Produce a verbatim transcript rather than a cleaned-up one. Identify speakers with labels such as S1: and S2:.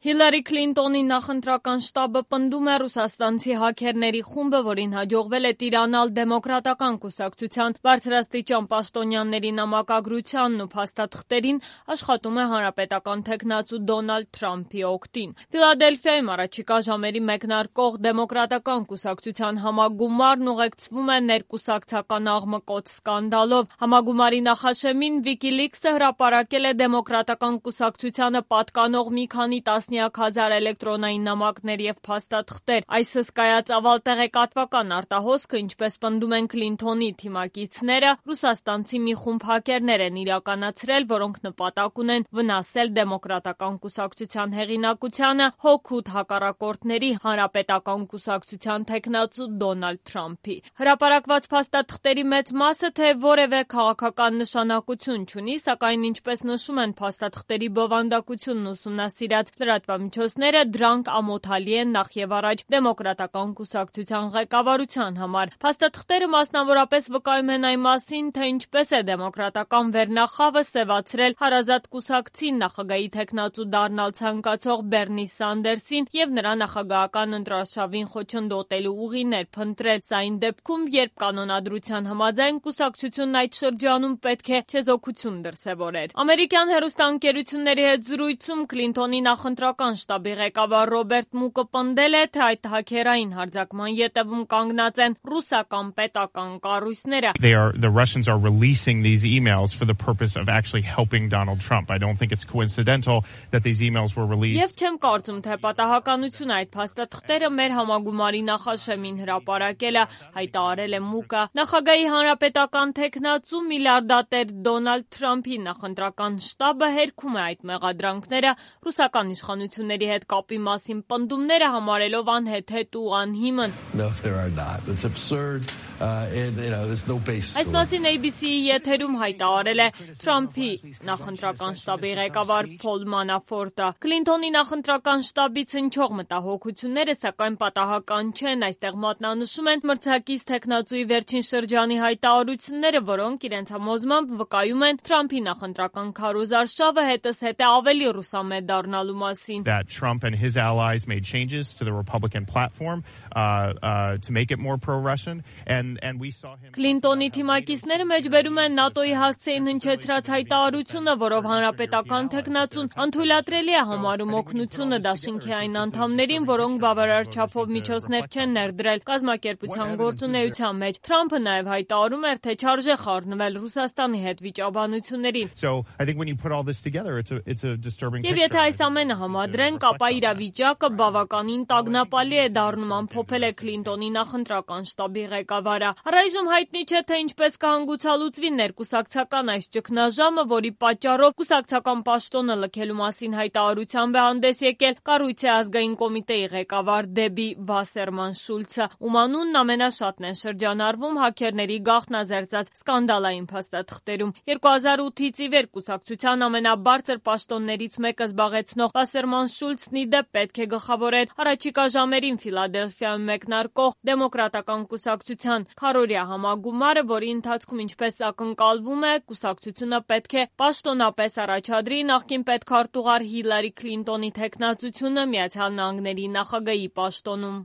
S1: Հիլարի Քլինտոնի նախընտրական շտաբը պնդում է ռուսաստանցի հաքերների խումբը, որին հաջողվել է տիրանալ դեմոկրատական կուսակցության բարձրաստիճան պաշտոնյաների նամակագրությանն ու փաստաթղթերին, աշխատում է հանրապետական թեկնածու Դոնալդ Թրամփի օգտին։ Ֆիլադելֆիայում առաջիկա ժամերի մեկնարկող դեմոկրատական կուսակցության համագումարն ուղեկցվում է ներկուսակցական աղմկոտ սկանդալով։ Համագումարի նախաշեմին Wikileaks-ը հրապարակել է դեմոկրատական կուսակցությանը պատկանող մի քանի տասնյակ հազար էլեկտրոնային նամակներ և փաստաթղթեր։ Այս հսկայածավալ տեղեկատվական արտահոսքը, ինչպես պնդում են Քլինթոնի թիմակիցները, ռուսաստանցի մի խումբ հաքերներ են իրականացրել, որոնք նպատակ ունեն վնասել դեմոկրատական կուսակցության հեղինակությանը հօգուտ հակառակորդների հանրապետական կուսակցության թեկնածու Դոնալդ Թրամփի։ Հրապարակված փաստաթղթերի մեծ մասը թե որևէ քաղաքական նշանակություն չունի, սակայն ինչպես նշում են փաստաթղթերի բովանդակությունն ուսումնասիրած լրատվամիջոցները, դրանք ամոթալի են նախ եւ առաջ դեմոկրատական կուսակցության ղեկավարության համար։ Փաստաթղթերը մասնավորապես վկայում են այն մասին, թե ինչպես է դեմոկրատական վերնախավը սևացրել հարազատ կուսակցին նախագահի թեկնածու դառնալ ցանկացող Բեռնի Սանդերսին եւ նրա նախագահական ընտրարշավին խոչընդոտելու ուղիներ փնտրել։ Սա այն դեպքում, երբ կանոնադրության համաձայն կուսակցությունն այդ շրջանում պետք է չեզոքություն դրսևորեր։ Ամերիկյան հեռուստաընկերությունների հետ զրույցում Քլինթոնի նախընտրական շտաբի ղեկավար Ռոբերտ Մուկը պնդել է, թե այդ հաքերային հարձակման ետևում կանգնած են ռուսական պետական կառույցները։
S2: They are the Russians are releasing these emails for the purpose of actually helping Donald Trump. I don't think it's coincidental that these emails were released.
S1: Եվ չեմ կարծում, թե պատահականություն այդ փաստաթղթերը մեր համագումարի նախաշեմին հրապարակելը, հայտարարել է Մուկը։ Նախագահի հանրապետական թեկնածու միլիարդատեր Դոնալդ Թրամփի նախընտրական շտաբը հերքում է այդ մեղադրանքները, ռուսական իշխանությունների հետ կապի մասին պնդումները համարելով անհեթեթ ու անհիմն։
S3: No, there are not. It's absurd. Uh, and, you know, there's no basis.
S1: Այս մասին A B C-ի եթերում հայտարարել է Թրամփի նախընտրական շտաբի ղեկավար Փոլ Մանաֆորտը։ Քլինթոնի նախընտրական շտաբից հնչող մտահոգությունները սակայն պատահական չեն։ Այստեղ մատնանշում են մրցակից թեկնածուի վերջին շրջանի հայտարարությունները, որոնք իրենց համոզմամբ վկայում են Թրամփի նախընտրական քարոզարշավը հետզհետե ավելի ռուսամետ դառնալու մասին։
S2: That Trump and his allies made changes to the Republican platform uh, uh, to make it more pro-Russian and and we saw him.
S1: Քլինտոնի թիմակիցները մեջբերում են ՆԱՏՕ-ի հասցեին հնչեցրած հայտարարությունը, որով հանրապետական թեկնածուն անթույլատրելի է համարում օգնությունը դաշինքի այն անդամներին, որոնք բավարար չափով միջոցներ չեն ներդրել կազմակերպության գործունեության մեջ։ Թրամփը նաև հայտարարում էր, թե չարժե խառնվել Ռուսաստանի հետ վիճաբանություններին։
S2: So I think when you put all this together, it's a it's a disturbing
S1: Եվ եթե այս ամենը համադրենք, ապա իրավիճակը բավականին տագնապալի է դառնում, ամփոփել է Քլինտոնի նախընտրական շտաբի ղեկավարը։ Առայժմ հայտնի չէ, թե ինչպես կհանգուցալուծվի ներկուսակցական այս ճգնաժամը, որի պատճառով կուսակցական պաշտոնը լքելու մասին հայտարարությամբ է հանդես եկել կառույցի ազգային կոմիտեի ղեկավար Դեբի Վասերման Շուլցը, ում անունն ամենաշատն են շրջանառվում հաքերների գաղտնազերծած սկանդալային փաստաթղթերում։ երկու հազար ութից ի վեր կուսակցության ամենաբարձր պաշտոններից մեկը զբաղեցնող Վասերման Շուլցն ի դեպ պետք է գլխավորեր առաջիկա ժամերին Ֆիլադելֆիայում մեկնարկող դեմոկրատական կուսակցության քառօրյա համագումարը, որի ընթացքում, ինչպես ակնկալվում է, կուսակցությունը պետք է պաշտոնապես առաջադրի նախկին պետքարտուղար Հիլարի Քլինտոնի թեկնածությունը Միացյալ Նահանգների նախագահի պաշտոնում։